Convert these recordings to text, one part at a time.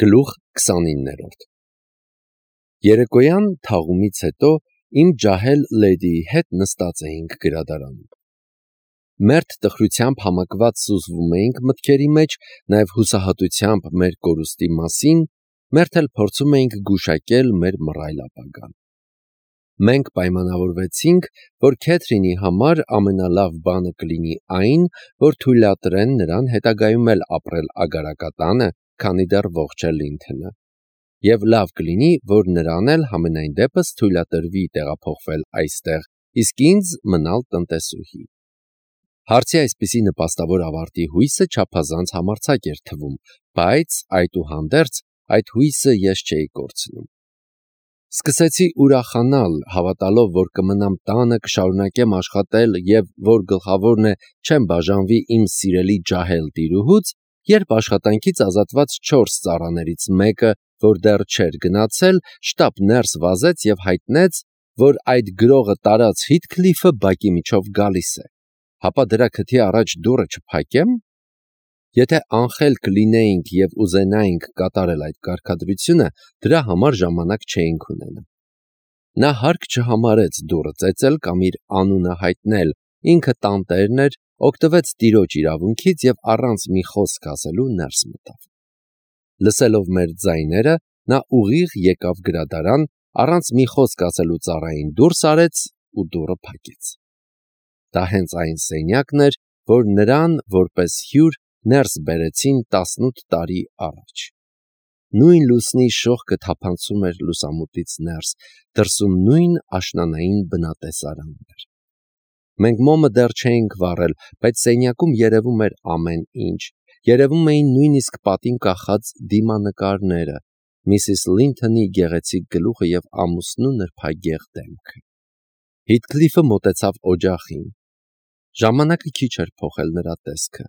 Գլուխ 29-րդ Երեկոյան թաղումից հետո իմ ջահել լեդիի հետ նստած էինք գրադարանում։ Մերթ տխրությամբ համակված սուզվում էինք մտքերի մեջ, նաև հուսահատությամբ մեր կորուստի մասին, մերթ էլ փորձում էինք գուշակել մեր մռայլ ապագան։ Մենք պայմանավորվեցինք, որ Քեթրինի համար ամենալավ բանը կլինի այն, որ թույլատրեն նրան հետագայում էլ ապրել Ագարակատանը, քանի դեռ ողջ է Լինթոնը, և լավ կլինի, որ նրան էլ համենայն դեպս թույլատրվի տեղափոխվել այստեղ, իսկ ինձ մնալ տնտեսուհի։ Հարցի այսպիսի նպաստավոր ավարտի հույսը չափազանց համարձակ էր թվում, բայց այդուհանդերձ այդ հույսը ես չէի կորցնում։ Սկսեցի ուրախանալ, հավատալով, որ կմնամ տանը, կշարունակեմ աշխատել և որ գլխավորն է չեմ բաժանվի իմ սիրելի ջահել տիրուհուց, երբ աշխատանքից ազատված 4 ծառաներից մեկը, որ դեռ չէր գնացել, շտապ ներս վազեց և հայտնեց, որ այդ գրողը տարած Հիթքլիֆը բակի միջով գալիս է, հապա դրա քթի առաջ դուռը չփակեմ։ Եթե անխելք լինեինք և ուզենայինք կատարել այդ կարգադրությունը, դրա համար ժամանակ չէինք ունենա։ Նա հարկ չհամարեց դուռը ծեծել կամ իր անունը հայտնել, ինքը տանտերն էր, օգտվեց տիրոջ իրավունքից և առանց մի խոսք ասելու ներս մտավ։ Լսելով մեր ձայները, նա ուղիղ եկավ գրադարան, առանց մի խոսք ասելու ծառային դուրս արեց ու դուռը փակեց։ Դա հենց այն սենյակն էր, որ նրան որպես հյուր ներս բերեցին 18 տարի առաջ։ Նույն լուսնի շողքը թափանցում էր լուսամուտից ներս, դրսում նույն աշնանային բնատեսարանն էր։ Մենք մոմը դեռ չէինք վառել, բայց սենյակում երևում էր ամեն ինչ, երևում էին նույնիսկ պատին կախած դիմանկարները, Միսիս Լինթոնի գեղեցիկ գլուխը և ամուսնու նրբագեղ դեմքը։ Հիթքլիֆը մոտեցավ օջախին։ Ժամանակը քիչ էր փոխել նրա տեսքը։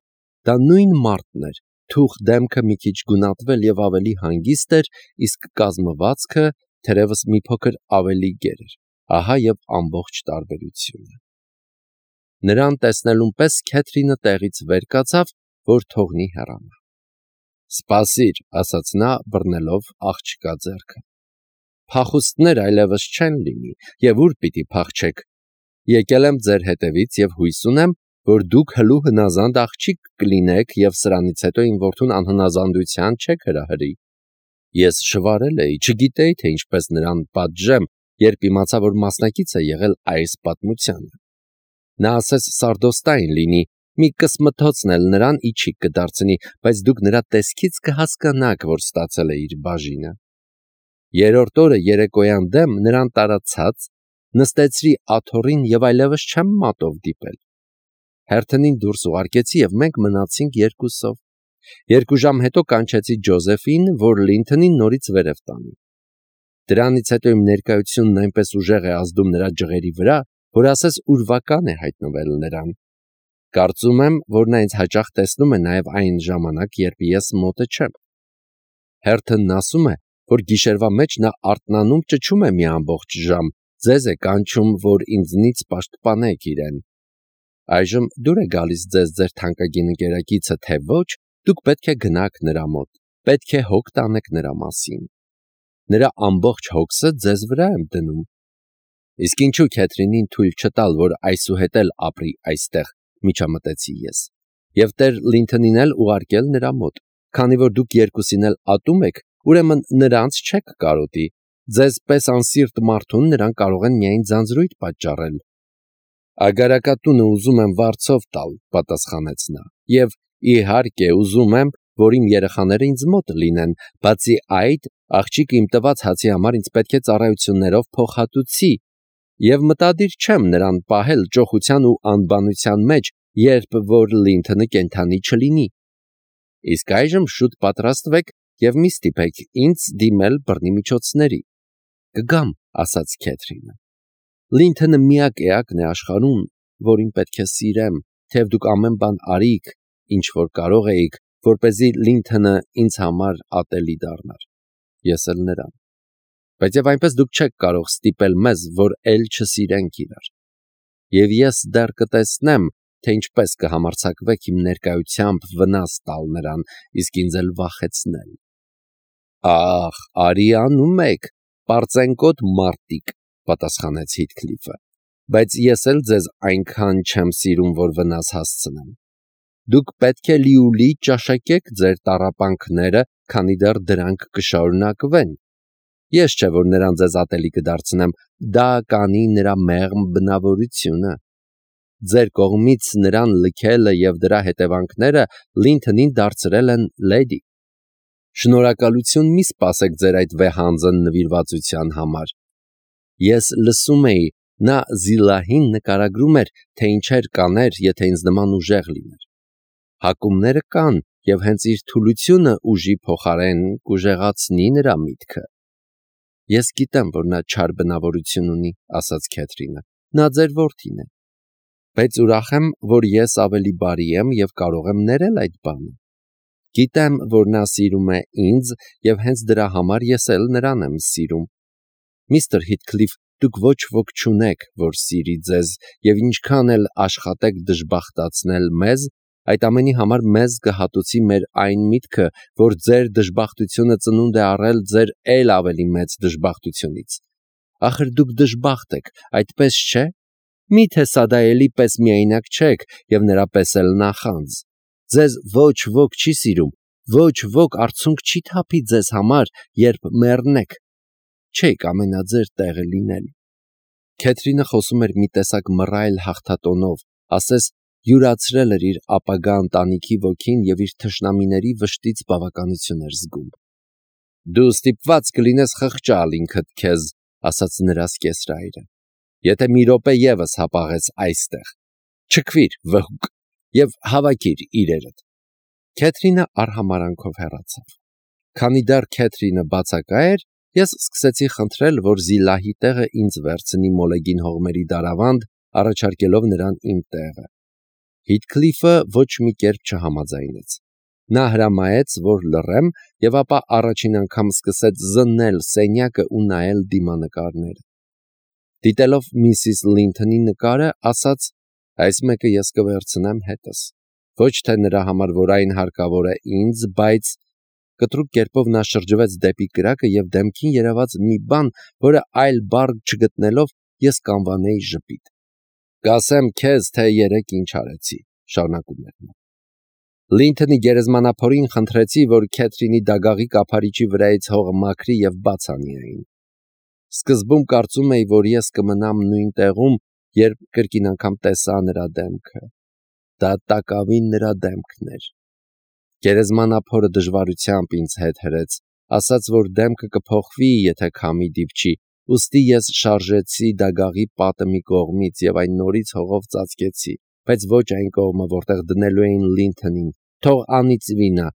Դա նույն մարդն էր, թուխ դեմքը մի քիչ գունատվել և ավելի հանգիստ էր, իսկ կազմվածքը թերևս մի փոքր ավելի գեր էր։ Ահա և ամբողջ տարբերությունը։ Նրան տեսնելուն պես Քեթրինը տեղից վեր կացավ, որ թողնի հեռանա։ «Սպասիր», ասաց նա, բռնելով աղջկա ձեռքը։ «Փախուստներ այլևս չեն լինի, և ուր պիտի փախչեք։ Եկել եմ ձեր հետևից և հույս ունեմ, որ դուք հլու հնազանդ աղջիկ կլինեք և սրանից հետո իմ որդուն անհնազանդության չեք հրահրի»։ Ես շվարել էի, չգիտեի, թե ինչպես նրան պատժեմ, երբ իմացա, որ մասնակից է եղել այս պատմությանը։ Նա ասես սարդոստային լինի, մի կսմթոցն էլ նրան իջիկ կդարձնի, բայց դուք նրա տեսքից կհասկանաք, որ ստացել է իր բաժինը։ Երրորդ օրը երեկոյան դեմ նրան տարածած, նստեցրի աթոռին և այլևս չեմ մատով դիպել։ Հերթնին դուրս ուղարկեցի և մենք մնացինք երկուսով։ 2 ժամ հետո կանչեցի Ջոզեֆին, որ Լինթոնին նորից վերև տանի։ Դրանից հետո իմ ներկայությունն այնպես ուժեղ է ազդում նրա ջղերի վրա, որ ասես ուրվական է հայտնվել նրան։ Կարծում եմ, որ նա ինձ հաճախ տեսնում է նաև այն ժամանակ, երբ ես մոտը չեմ։ Հերթնն ասում է, որ գիշերվա մեջ նա արթնանում ճչում է մի ամբողջ ժամ, ձեզ է կանչում, որ ինձնից պաշտպանեք իրեն։ Այժմ դուր է գալիս ձեզ ձեր թանկագին ընկերակիցը, թե ոչ, դուք պետք է գնաք նրա մոտ, պետք է հոգ տանեք նրա մասին։ Նրա ամբողջ հոգսը ձեզ վրա եմ դնում։ Իսկ ինչու Քեթրինին թույլ չտալ, որ այսուհետ էլ ապրի այստեղ, միջամտեցի ես, և Տեր Լինթոնին էլ ուղարկել նրա մոտ, քանի որ դուք երկուսին էլ ատում եք, ուրեմն նրանց չեք կարոտի, ձեզ պես անսիրտ մարդուն նրան կարող են միայն ձանձրույթ պատճառել։ Ագարակատունը ուզում եմ վարձով տալ, պատասխանեց նա, և իհարկե ուզում եմ, որ իմ երեխաները ինձ մոտ լինեն, բացի այդ, աղջիկը իմ տված հացի համար ինձ պետք է ծառայություններով փոխհատուցի, և մտադիր չեմ նրան պահել ճոխության ու անբանության մեջ, երբ որ Լինթոնը կենդանի չլինի։ Իսկ այժմ շուտ պատրաստվեք և մի ստիպեք ինձ դիմել բռնի միջոցների։ Կգամ, ասաց Քեթրինը։ Լինթոնը միակ էակն է աշխարհում, որին պետք է սիրեմ, թեև դուք ամեն բան արիք, ինչ որ կարող էիք, որպեսզի Լինթոնը ինձ համար ատելի դառնար։ Ես էլ նրան։ Բայց և այնպես դուք չեք կարող ստիպել մեզ, որ էլ չսիրենք իրար։ Եվ ես դեռ կտեսնեմ, թե ինչպես կհամարձակվեք իմ ներկայությամբ վնաս տալ նրան, իսկ ինձ էլ վախեցնել։ Ախ, արի անում եք, պարծենկոտ մարտիկ, պատասխանեց Հիթքլիֆը, բայց ես էլ ձեզ այնքան չեմ սիրում, որ վնաս հասցնեմ։ Դուք պետք է լիուլի ճաշակեք ձեր տառապանքները, քանի դեռ դրանք կշարունակվեն։ Ես չէ, որ նրան ձեզ ատելի կդարձնեմ, դա կանի նրա մեղմ բնավորությունը։ Ձեր կողմից նրան լքելը եւ դրա հետևանքները Լինթոնին դարձրել են լեդի։ Շնորհակալություն մի սպասեք ձեր այդ վեհանձն նվիրվածության համար։ Ես լսում էի, նա Զիլահին նկարագրում էր, թե ինչեր կաներ, եթե ինձ նման ուժեղ լիներ։ Հակումները կան, եւ հենց իր թուլությունը ուժի փոխարեն կուժեղացնի նրա միտքը։ Ես գիտեմ, որ նա չար բնավորություն ունի, ասաց Քեթրինը։ Նա ձեր որդին է։ Բայց ուրախ եմ, որ ես ավելի բարի եմ եւ կարող եմ ներել այդ բանը։ Գիտեմ, որ նա սիրում է ինձ եւ հենց դրա համար ես էլ նրան եմ սիրում։ Միստր Հիթքլիֆ, դուք ոչ ոք չունեք, որ սիրի ձեզ եւ ինչքան էլ աշխատեք դժբախտացնել մեզ, այդ ամենի համար մեզ կհատուցի մեր այն միտքը, որ ձեր դժբախտությունը ծնունդ է առել ձեր ել ավելի մեծ դժբախտությունից։ Ախր դուք դժբախտ եք, այդպես չէ՞։ Միթե Սադայելի պես միայնակ չեք եւ նրա պես էլ նախանձ։ Ձեզ ոչ ոք չի սիրում, ոչ ոք արցունք չի թափի ձեզ համար, երբ մեռնեք։ Չեք ամենա ձեր տեղը լինել։ Քեթրինը խոսում էր մի տեսակ մռայլ հաղթատոնով, ասես յուրացրել էր իր ապագա ընտանիքի ոգին եւ իր թշնամիների վշտից բավականություն էր զգում։ Դու ստիպված կլինես խղճալ ինքդ քեզ, ասաց նրա սկեսրայրը։ Եթե մի րոպե եւս հապաղես այստեղ, չքվիր վհուկ եւ հավաքիր իրերդ։ Քեթրինը արհամարանքով հեռացավ։ Քանի դեռ Քեթրինը բացակա էր, ես սկսեցի խնդրել, որ Զիլահի տեղը ինձ վերցնի Մոլեգին հողմերի դարավանդ, առաջարկելով նրան իմ տեղը։ Հիթքլիֆը ոչ մի կերպ չհամաձայնեց։ Նա հրամայեց, որ լռեմ, եւ ապա առաջին անգամ սկսեց զննել սենյակը ու նայել դիմանկարները։ Դիտելով միսիս Լինթոնի նկարը, ասաց. այս մեկը ես կվերցնեմ հետս։ Ոչ թե նրա համար, որ այն հարկավոր է ինձ, բայց կտրուկ կերպով նա շրջվեց դեպի կրակը եւ դեմքին երևաց մի բան, որը այլ բառ չգտնելով ես կանվանեի ժպիտ։ Կասեմ քեզ, թե երեք ինչ արեցի, շարունակում էր նա։ Լինթոնի գերեզմանափորին խնդրեցի, որ Քեթրինի դագաղի կափարիչի վրայից հողը մաքրի եւ բաց անի այն։ Սկզբում կարծում էի, որ ես կմնամ նույն տեղում, երբ կրկին անգամ տեսա նրա դեմքը։ Դա տակավին նրա դեմքն էր։ Գերեզմանափորը դժվարությամբ ինձ հետ հրեց, ասաց, որ դեմքը կփոխվի, եթե քամի դիպչի, ուստի ես շարժեցի դագաղի պատը մի կողմից եւ այն նորից հողով ծածկեցի, բայց ոչ այն կողմը, որտեղ դնելու էին Լինթոնին, թող անիծվի նա։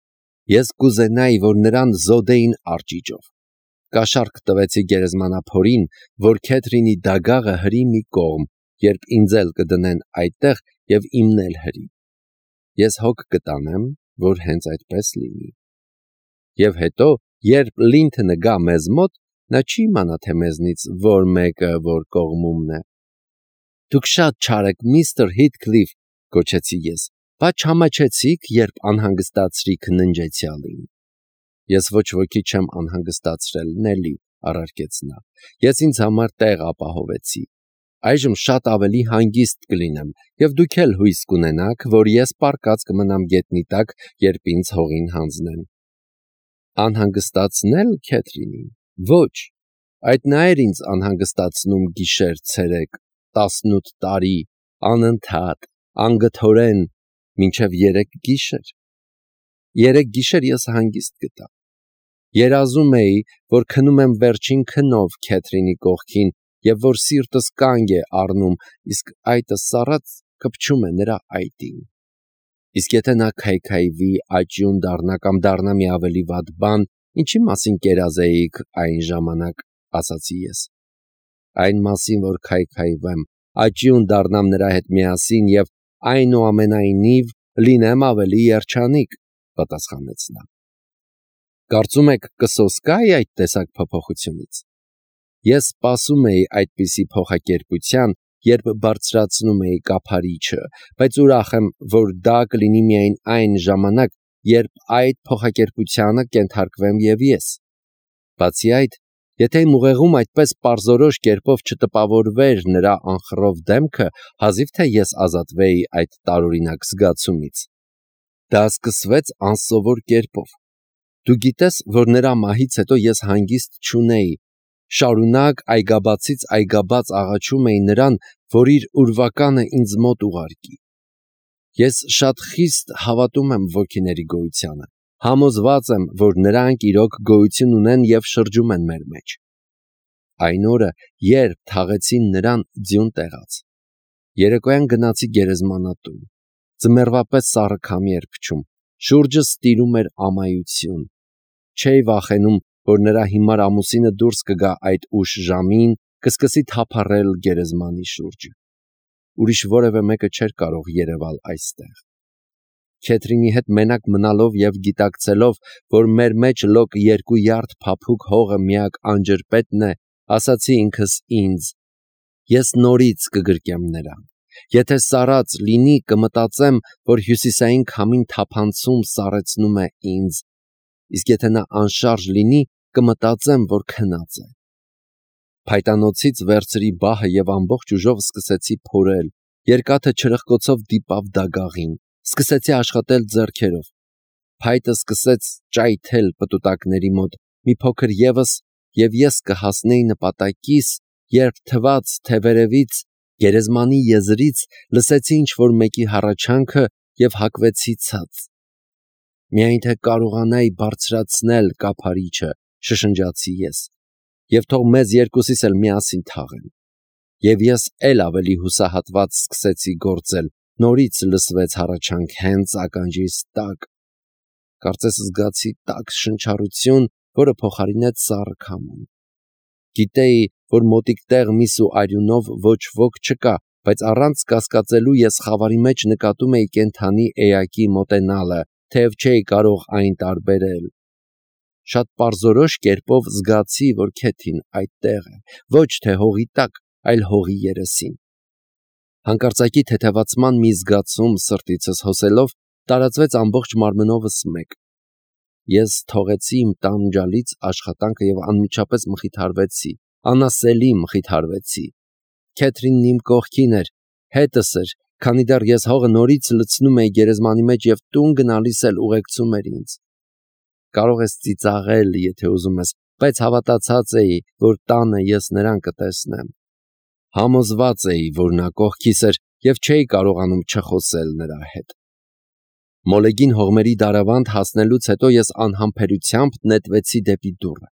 Ես կուզենայի, որ նրան զոդեին արճիճով։ Կաշառք տվեցի գերեզմանափորին, որ Քեթրինի դագաղը հրի մի կողմ, երբ ինձ էլ կդնեն այդտեղ եւ իմն էլ հրի։ Ես հոգ կտանեմ, որ հենց այդպես լինի։ Եվ հետո, երբ Լինթոնը գա մեզ մոտ, նա չի իմանա, թե մեզնից որ մեկը որ կողմումն է։ Դուք շատ չար եք, միստր Հիթքլիֆ, գոչեցի ես, բայց չամաչեցիք, երբ անհանգստացրիք ննջեցյալին։ Ես ոչ ոքի չեմ անհանգստացրել, Նելի, առարկեց նա։ Ես ինձ համար տեղ ապահովեցի։ Այժմ շատ ավելի հանգիստ կլինեմ, եւ դուք էլ հույս կունենաք, որ ես պառկած կմնամ գետնի տակ, երբ ինձ հողին հանձնեն։ Անհանգստացնել Քեթրինին։ Ոչ, այդ նա էր ինձ անհանգստացնում գիշեր-ցերեկ, 18 տարի, անընդհատ, անգթորեն, մինչև 3 գիշեր։ 3 գիշեր ես հանգիստ գտա։ Երազում էի, որ քնում եմ վերջին քնով Քեթրինի կողքին եւ որ սիրտս կանգ է առնում, իսկ այտը սառած կպչում է նրա այտին։ Իսկ եթե նա քայքայվի, աճյուն դառնա կամ դառնա մի ավելի վատ բան, ինչի մասին կերազեիք այն ժամանակ, ասացի ես։ Այն մասին, որ քայքայվեմ, աճյուն դառնամ նրա հետ միասին եւ այնուամենայնիվ լինեմ ավելի երջանիկ, պատասխանեց նա։ Կարծում եք կսոսկայի այդ տեսակ փոփոխությունից։ Ես սպասում էի այդպիսի փոխակերպության, երբ բարձրացնում էի կափարիչը, բայց ուրախ եմ, որ դա կլինի միայն այն ժամանակ, երբ այդ փոխակերպությանը կենթարկվեմ եւ ես։ Բացի այդ, եթե իմ ուղեղում այդպես պարզորոշ կերպով չտպավորվեր նրա անխռով դեմքը, հազիվ թե ես ազատվեի այդ տարօրինակ զգացումից։ Դա սկսվեց անսովոր կերպով։ Դու գիտես, որ նրա մահից հետո ես հանգիստ չունեի, շարունակ այգաբացից այգաբաց աղաչում էի նրան, որ իր ուրվականը ինձ մոտ ուղարկի։ Ես շատ խիստ հավատում եմ ոգիների գոյությանը, համոզված եմ, որ նրանք իրոք գոյություն ունեն և շրջում են մեր մեջ։ Այն օրը, երբ թաղեցին նրան, ձյուն տեղաց։ Երեկոյան գնացի գերեզմանատուն։ Ձմեռվա պես սառը քամի էր փչում, շուրջս տիրում էր ամայություն։ Չէի վախենում, որ նրա հիմար ամուսինը դուրս կգա այդ ուշ ժամին, կսկսի թափառել գերեզմանի շուրջը։ Ուրիշ որևէ մեկը չէր կարող երևալ այստեղ։ Քեթրինի հետ մենակ մնալով և գիտակցելով, որ մեր մեջ լոկ 2 յարդ փափուկ հողը միակ անջրպետն է, ասացի ինքս ինձ. ես նորից կգրկեմ նրան։ Եթե սառած լինի, կմտածեմ, որ հյուսիսային քամին թափանցում սառեցնում է ինձ, իսկ եթե նա անշարժ լինի, կմտածեմ, որ քնած է։ Փայտանոցից վերցրի բահը և ամբողջ ուժով սկսեցի փորել, երկաթը չրխկոցով դիպավ դագաղին, սկսեցի աշխատել ձեռքերով։ Փայտը սկսեց ճայթել պտուտակների մոտ, մի փոքր ևս, և ես կհասնեի նպատակիս, երբ թվաց, թե վերևից, գերեզմանի եզրից լսեցի ինչ-որ մեկի հառաչանքը և հակվեցի ցած։ «Միայն թե կարողանայի բարձրացնել կափարիչը», շշնջացի ես, «և թող մեզ երկուսիս էլ միասին թաղեն»։ Եվ ես էլ ավելի հուսահատված սկսեցի գործել, նորից լսվեց հառաչանք հենց ականջիս տակ։ Կարծես զգացի տաք շնչառություն, որը փոխարինեց սառը քամուն։ Գիտեի, որ մոտիկ տեղ միս ու արյունով ոչ ոք չկա, բայց առանց կասկածելու ես խավարի մեջ նկատում էի կենդանի էակի մոտենալը, թեև չէի կարող այն տարբերել։ Շատ պարզորոշ կերպով զգացի, որ Քեթին այդտեղ է, ոչ թե հողի տակ, այլ հողի երեսին։ Հանկարծակի թեթևացման մի զգացում սրտիցս հոսելով տարածվեց ամբողջ մարմնովս մեկ։ Ես թողեցի իմ տանջալից աշխատանքը և անմիջապես մխիթարվեցի, անասելի մխիթարվեցի։ Քեթրինն իմ կողքին էր, հետս էր, քանի դեռ ես հողը նորից լցնում էի գերեզմանի մեջ և տուն գնալիս էլ ուղեկցում էր ինձ։ Կարող ես ծիծաղել, եթե ուզում ես, բայց հավատացած էի, որ տանը ես նրան կտեսնեմ։ Համոզված էի, որ նա կողքիս էր և չէի կարողանում չխոսել նրա հետ։ Մոլեգին հողմերի դարավանդ հասնելուց հետո ես անհամբերությամբ նետվեցի դեպի դուռը։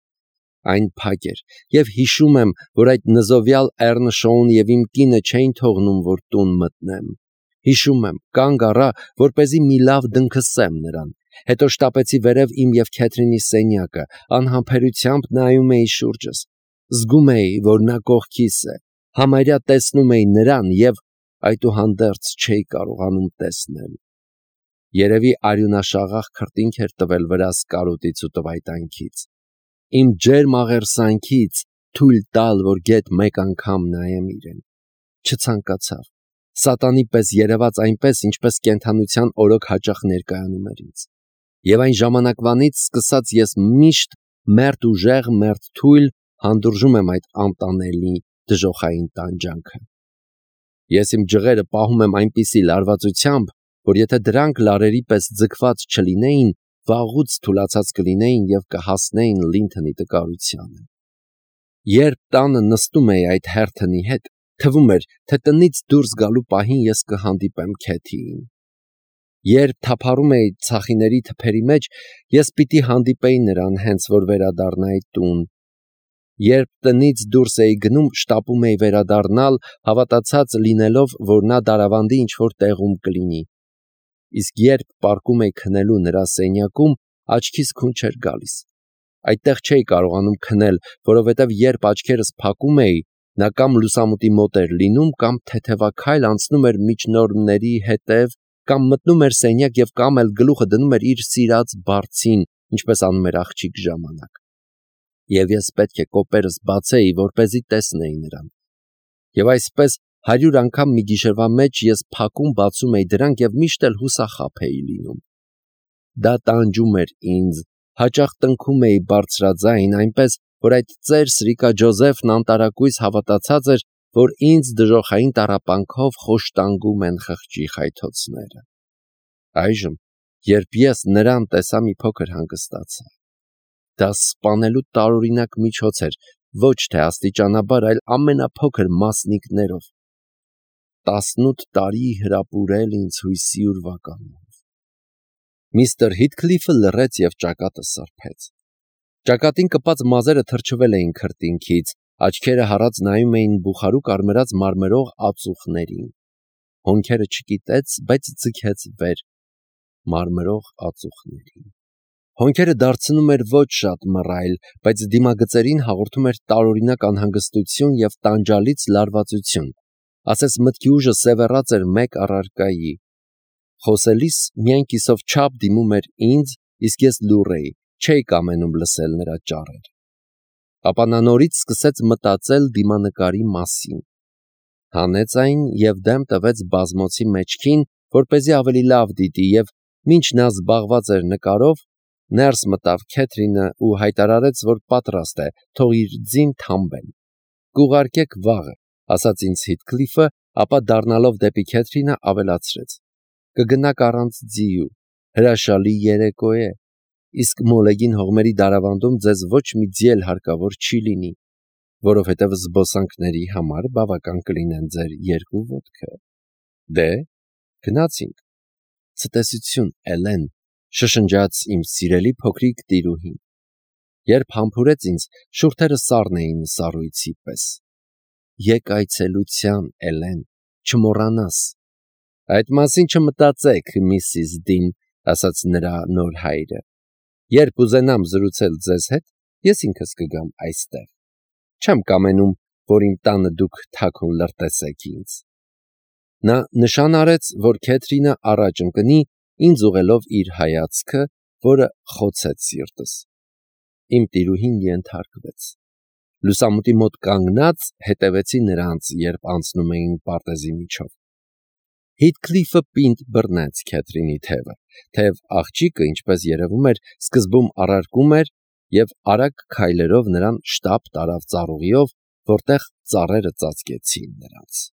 Այն փակ էր, և հիշում եմ, որ այդ նզովյալ Էռնշոուն և իմ կինը չէին թողնում, որ տուն մտնեմ։ Հիշում եմ, կանգ առա, որպեսզի մի լավ դնքսեմ նրան, հետո շտապեցի վերև իմ և Քեթրինի սենյակը, անհամբերությամբ նայում էի շուրջս։ Զգում էի, որ նա կողքիս է, համարյա տեսնում էի նրան և այդուհանդերձ չէի կարողանում տեսնել։ Երևի արյունաշաղախ քրտինք էր տվել վրաս կարոտից ու տվայտանքից։ Իմ ջերմ աղերսանքից թույլ տալ, որ գեթ մեկ անգամ նայեմ իրեն։ Չցանկացավ։ Սատանի պես երևաց այնպես, ինչպես կենդանության օրոք հաճախ ներկայանում էր ինձ։ Եվ այն ժամանակվանից սկսած ես միշտ մերթ ուժեղ, մերթ թույլ հանդուրժում եմ այդ անտանելի դժոխային տանջանքը։ Ես իմ ջղերը պահում եմ այնպիսի լարվածությամբ, որ եթե դրանք լարերի պես ձգված չլինեին, վաղուց թուլացած կլինեին և կհասնեին լինթնի տկարությանը։ Երբ տանը նստում էի այդ հերթնի հետ, թվում էր, թե տնից դուրս գալու պահին ես կհանդիպեմ Քեթիին։ Երբ թափառում էի ցախիների թփերի մեջ, ես պիտի հանդիպեի նրան, հենց որ վերադառնայի տուն։ Երբ տնից դուրս էի գնում, շտապում էի վերադառնալ, հավատացած լինելով, որ նա դարավանդի ինչ-որ տեղում կլինի։ Իսկ երբ պառկում էի քնելու նրա սենյակում, աչքիս քուն չէր գալիս։ Այդտեղ չէի կարողանում քնել, որովհետև երբ աչքերս փակում էի, նա կամ լուսամուտի մոտ էր լինում, կամ թեթևաքայլ անցնում էր միջնորմների հետև, կամ մտնում էր սենյակ և կամ էլ գլուխը դնում էր իր սիրած բարձին, ինչպես անում էր աղջիկ ժամանակ։ Եվ ես պետք է կոպերս բացեի, որպեսզի տեսնեի նրան։ Եվ այսպես 100 անգամ մի գիշերվա մեջ ես փակում-բացում էի դրանք և միշտ էլ հուսախաբ էի լինում։ Դա տանջում էր ինձ, Հաճախ տնքում էի բարձրաձայն, այնպես, որ այդ ծեր Սրիկա Ջոզեֆն անտարակույս հավատացած էր, որ ինձ դժոխային տառապանքով խոշտանգում են խղճի խայթոցները։ Այժմ, երբ ես նրան տեսա, մի փոքր հանգստացա։ Դա սպանելու տարօրինակ միջոց էր, ոչ թե աստիճանաբար, այլ ամենափոքր մասնիկներով։ 18 տարի հրապուրել ինձ հույսի ուրվականով։ Միստր Հիթքլիֆը լռեց և ճակատը սրբեց։ Ճակատին կպած մազերը թրջվել էին քրտինքից, աչքերը հառած նայում էին բուխարու կարմրած մարմրող ածուխներին։ Հոնքերը չկիտեց, բայց ձգեց վեր մարմրող ածուխներին։ Հոնքերը դարձնում էր ոչ շատ մռայլ, բայց դիմագծերին հաղորդում էր տարօրինակ անհանգստություն և տանջալից լարվածություն, ասես մտքի ուժը սևեռած էր մեկ առարկայի։ Խոսելիս միայն կիսով չափ դիմում էր ինձ, իսկ ես լուռ էի, չէի կամենում լսել նրա ճառերը։ Ապա նա նորից սկսեց մտածել դիմանկարի մասին։ Հանեց այն և դեմ տվեց բազմոցի մեջքին, որպեսզի ավելի լավ դիտի, և մինչ նա զբաղված էր նկարով, ներս մտավ Քեթրինը ու հայտարարեց, որ պատրաստ է, թող իր ձին թամբեն։ «Կուղարկեք վաղը», ասաց ինձ Հիթքլիֆը, ապա դառնալով դեպի Քեթրինը ավելացրեց. «Կգնաք առանց ձիու, հրաշալի երեկո է, իսկ մոլեգին հողմերի դարավանդում ձեզ ոչ մի ձի էլ հարկավոր չի լինի, որովհետև զբոսանքների համար բավական կլինեն ձեր 2 ոտքը։ Դե, գնացինք։ Ցտեսություն, Էլեն», շշնջաց իմ սիրելի փոքրիկ տիրուհին։ Երբ համբուրեց ինձ, շուրթերը սառն էին սառույցի պես։ «Եկ այցելության, Էլեն, չմոռանաս»։ «Այդ մասին չմտածեք, Միսիս Դին», ասաց նրա նոր հայրը։ «Երբ ուզենամ զրուցել ձեզ հետ, ես ինքս կգամ այստեղ։ Չեմ կամենում, որ իմ տանը դուք թաքուն լրտեսեք ինձ»։ Նա նշան արեց, որ Քեթրինը առաջ ընկնի, ինձ ուղղելով իր հայացքը, որը խոցեց սիրտս։ Իմ տիրուհին ենթարկվեց։ Լուսամուտի մոտ կանգնած հետևեցի նրանց, երբ անցնում էին պարտեզի միջով։ Հիթքլիֆը պինդ բռնեց Քեթրինի թևը, թեև աղջիկը, ինչպես երևում էր, սկզբում առարկում էր և արագ քայլերով նրան շտապ տարավ ծառուղիով, որտեղ ծառերը ծածկեցին նրանց։